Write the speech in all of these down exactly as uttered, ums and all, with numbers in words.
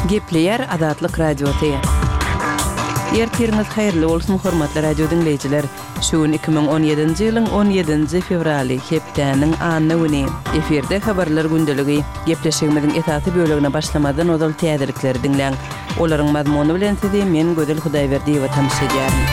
Gepleýär Azatlyk Radiosy. Ertiriňiz haýyrly bolsun, hormatly radio diňleýjiler. Şu gün iki müň on ýedinji ýylyň on ýedinji fewraly, hepdäniň anna güni. Efirde habarlar gündeligi. Gepleşigimiziň esasy bölegine başlamazdan ozal täzelikleri diňläň. Olaryň mazmuny bilen sizi men Gözel Hudaýberdiýewa tanyş edýärin.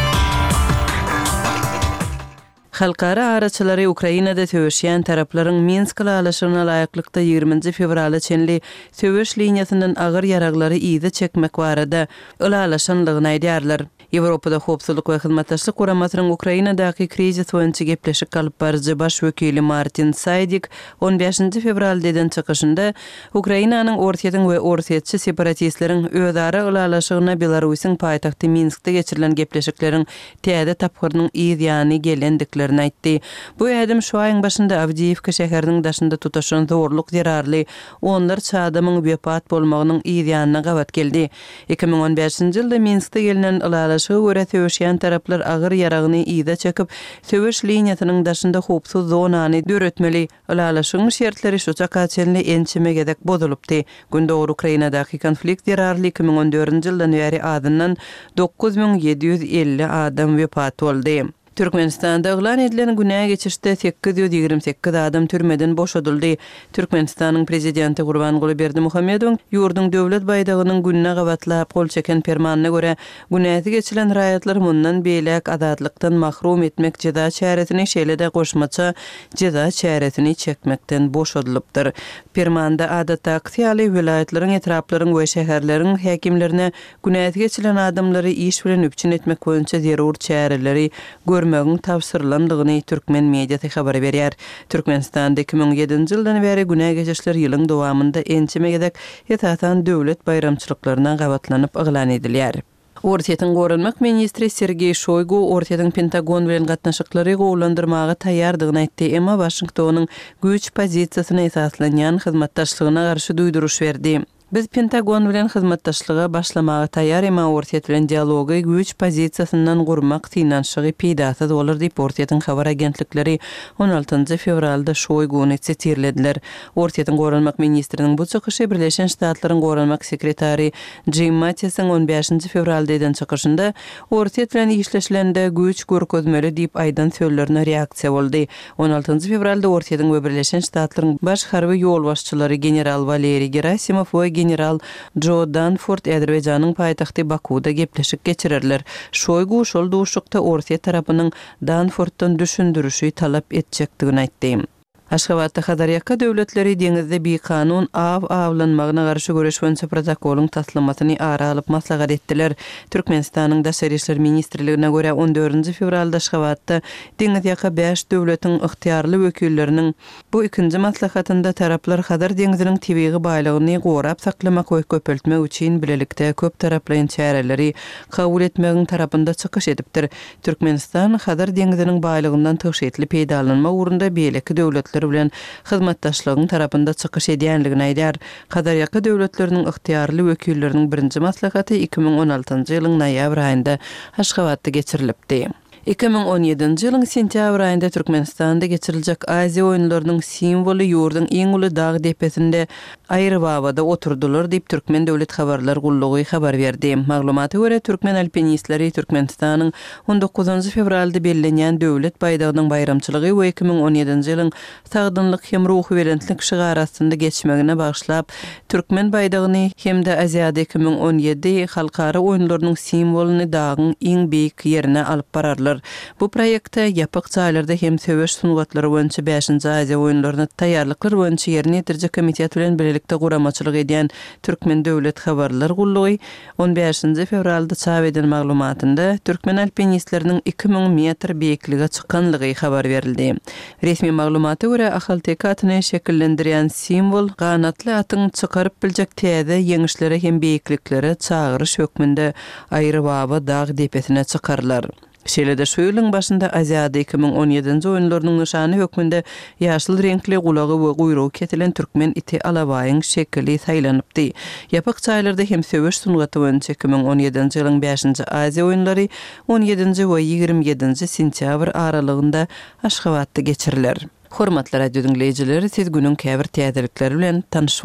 Halkara araçylary Ukrainada söweşýän taraplaryň Minsk ylalaşygyna laýyklykda ýigriminji fewrala çenli söweş liniýasyndan agyr ýaraglary yza çekmek barada ylalaşanlygyny aýdýarlar. Ýewropada Howpsuzlyk we Hyzmatdaşlyk Guramasynyň Ukrainadaky krizis boýunça gepleşik alyp baryjy baş wekili Martin Saýdik on bäşinji fewralda eden çykyşynda Ukrainanyň Orsýetiň we orsýetçi separatistleriň özara ylalaşygyna Belarusyň paýtagty Minskde geçirilen gepleşikleriň täze tapgyrynyň yz ýany gelendiklerini aýtdy. Bu ädim şu aýyň başynda Awdiýewka şäheriniň daşynda tutaşan zorluk zerarly onlarça adamyň wepat bolmagynyň yz ýanyna gabat geldi. Iki müň on bäşinji ýylda Minskde gelnen ylalaşyga görä söweşýän taraplar agyr ýaragyny yza çekip, söweş liniýasynyň daşynda howpsuz zonany döretmeli. Ylalaşygyň şertleri şu çaka çenli ençeme gezek bozulypdy. Gündogar Ukrainadaky konflikt zerarly iki müň on dördünji ýyldan bäri azyndan dokuz müň ýedi ýüz elli adam wepat boldy. Türkmenistanda yglan edilen günä geçişde sekiz ýüz ýigrimi sekiz adam türmeden boşadyldy. Türkmenistanyň prezidenti Gurbanguly Berdimuhamedowyň ýurduň döwlet baýdagynyň gününe gabatlap gol çeken permanyna görä, günäsi geçilen raýatlar mundan beýläk azatlykdan mahrum etmek jeza çäresini, şeýle-de goşmaça jeza çäresini çekmekden boşadylypdyr. Permanda adatdaky ýaly welaýatlaryň, etraplaryň we şäherleriň häkimlerine günäsi geçilen adamlary iş bilen üpjün etmek boýunça zerur çäreleri görmegiň tabşyrylandygyny türkmen mediasy habar berýär. Türkmenistanda iki müň ýedinji ýyldan bäri günä geçişler ýylyň dowamynda ençeme gezek, esasan döwlet baýramçylyklaryna gabatlanyp yglan edilýär. Orsýetiň goranmak ministri Sergeý Şoýgu Orsýetiň Pentagon bilen gatnaşyklary gowulandyrmaga taýýardygyny aýtdy, emma Waşingtonyň güýç pozisiýasyna esaslanýan hyzmatdaşlygyna garşy duýduryş berdi. Biz Pentagon bilen hyzmatdaşlyga başlamaga taýýar, emma Orsýet bilen dialogy güýç pozisiýasyndan gurmak synanyşygy peýdasyz bolar diýip, Orsýetiň habar agentlikleri on altynjy fewralda Şoýguny sitirlediler. Orsýetiň goranmak ministriniň bu çykyşy Birleşen Ştatlaryň goranmak sekretary Jim Mattisiň on bäşinji fewralda eden çykyşynda Orsýet bilen işleşilende güýç görkezmeli diýip aýdan sözlerine reaksiýa boldy. On altynjy fewralda Orsýetiň we Birleşen Ştatlaryň baş harby ýolbaşçylary general Waleriý Gerasimow we general Jo Danford Azerbaýjanyň paýtagty Bakuda gepleşik geçirerler. Şoýgu şol duşuşykda Orsýet tarapynyň Danforddan düşündirişi talap etjekdigini aýtdy. Aşgabatda Hazarýaka döwletleri deňizde bikanun aw awlanmagyna garşy göreş boýunça protokolyň taslamasyny ara alyp maslahat etdiler. Türkmenistanyň Daşary işler ministrligine görä on dördünji fewralda Aşgabatda deňizýaka bäş döwletiň ygtyýarly wekilleriniň bu ikinji maslahatynda taraplar Hazar deňziniň tebigy baýlygyny gorap saklamak we köpeltmek üçin bilelikde köp taraplaýyn çäreleri kabul etmegiň tarapynda çykyş edipdir. Türkmenistan Hazar deňziniň baýlygyndan tygşytly peýdalanma ugrunda beýleki döwletler bilen hyzmatdaşlygyň tarapynda çykyş edýänligini aýdar. Hazarýaka döwletleriniň ygtyýarly wekilleriniň birinji maslahaty iki müň on altynjy ýylyň noýabr aýynda Aşgabatda geçirilipdi. Iki müň on ýedinji ýylyň sentýabr aýynda Türkmenistanda geçiriljek Aziýa oýunlarynyň simwoly ýurduň iň uly dag depesinde Aýrybabada oturdylar diýip Türkmen döwlet habarlar gullugy habar berdi. Maglumata görä, türkmen alpinistleri Türkmenistanyň on dokuzynjy fewralda bellenýän döwlet baýdagynyň baýramçylygy we iki müň on ýedinji ýylyň sagdynlyk hem ruhubelentlik şygary astynda geçmegine bagyşlap, türkmen baýdagyny hem-de Aziada iki müň on ýedi halkara oýunlarynyň simwolyny dagyň iň beýik ýerine alyp bararlar. Bu proýekte ýapyk jaýlarda hem söweş sungatlary boýunça bäşinji Aziýa oýunlaryna taýýarlyklar boýunça ýerine ýetiriji komitet bilen birlikde guramaçylyk edýän Türkmen döwlet habarlar gullugy on bäşinji fewralda çap eden maglumatynda türkmen alpinistleriniň iki müň metr beýiklige çykanlygy habar berildi. Resmi maglumata görä, Ahalteke atyny şekillendirýän simwol ganatly atyň çykaryp biljek täze ýeňişlere hem beýikliklere çagyryş hökmünde Aýrybaba dag depesine çykarlar. Şeýle-de şu ýylyň başynda Aziada iki müň on ýedinji oýunlarynyň nyşany hökmünde ýaşyl reňkli gulagy we guýrugy kesilen türkmen iti Alabaýyň şekili saýlanypdy. Ýapyk jaýlarda hem söweş sungaty boýunça iki müň on ýedinji ýylyň bäşinji Aziýa oýunlary on ýedinji we ýigrimi ýedinji sentýabr aralygynda Aşgabatda geçiriler. Hormatly radio diňleýjiler, siz günüň käbir täzelikleri bilen tanyş bolduňyz.